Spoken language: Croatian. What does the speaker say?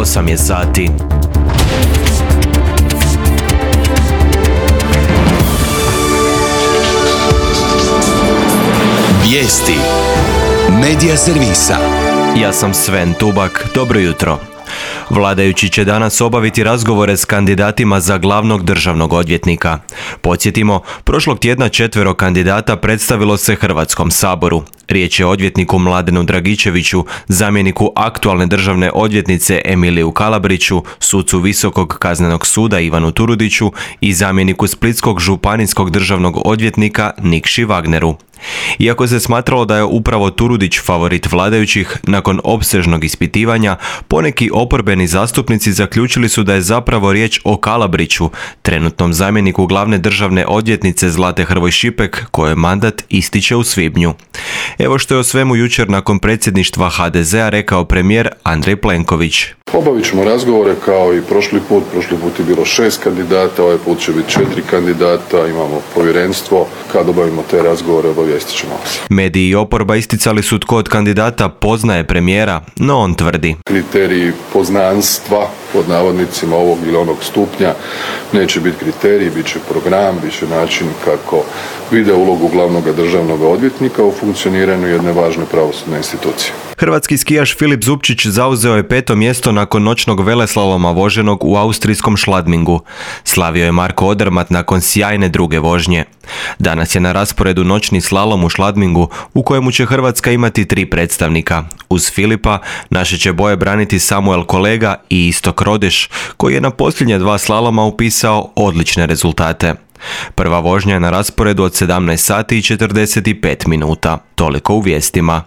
8 je sati. Vijesti Medija servisa. Ja sam Sven Tubak, dobro jutro. Vladajući će danas obaviti razgovore s kandidatima za glavnog državnog odvjetnika. Podsjetimo, prošlog tjedna 4 kandidata predstavilo se Hrvatskom saboru. Riječ je o odvjetniku Mladenu Dragičeviću, zamjeniku aktualne državne odvjetnice Emiliju Kalabriću, sucu Visokog kaznenog suda Ivanu Turudiću i zamjeniku Splitskog županijskog državnog odvjetnika Nikši Wagneru. Iako se smatralo da je upravo Turudić favorit vladajućih, nakon opsežnog ispitivanja, poneki oporbeni zastupnici zaključili su da je zapravo riječ o Kalabriću, trenutnom zamjeniku glavne državne odvjetnice Zlate Hrvoj Šipek, kojoj mandat ističe u svibnju. Evo što je o svemu jučer nakon predsjedništva HDZ-a rekao premijer Andrej Plenković. Obavit ćemo razgovore kao i prošli put je bilo 6 kandidata, ovaj put će biti 4 kandidata, imamo povjerenstvo, kad obavimo te razgovore obavijestit ćemo vas. Mediji i oporba isticali su tko od kandidata poznaje premijera, no on tvrdi. Kriteriji poznanstva, pod navodnicima ovog ili onog stupnja, neće biti kriteriji, bit će program, bit će način kako vide ulogu glavnog državnog odvjetnika u funkcioniranju jedne važne pravosudne institucije. Hrvatski skijaš Filip Zupčić zauzeo je 5. mjesto nakon noćnog veleslaloma voženog u austrijskom Schladmingu. Slavio je Marko Odermatt nakon sjajne druge vožnje. Danas je na rasporedu noćni slalom u Schladmingu u kojemu će Hrvatska imati 3 predstavnika. Uz Filipa naše će boje braniti Samuel Kolega i Istok Rodeš, koji je na posljednje 2 slaloma upisao odlične rezultate. Prva vožnja je na rasporedu od 17 sati i 45 minuta. Toliko u vijestima.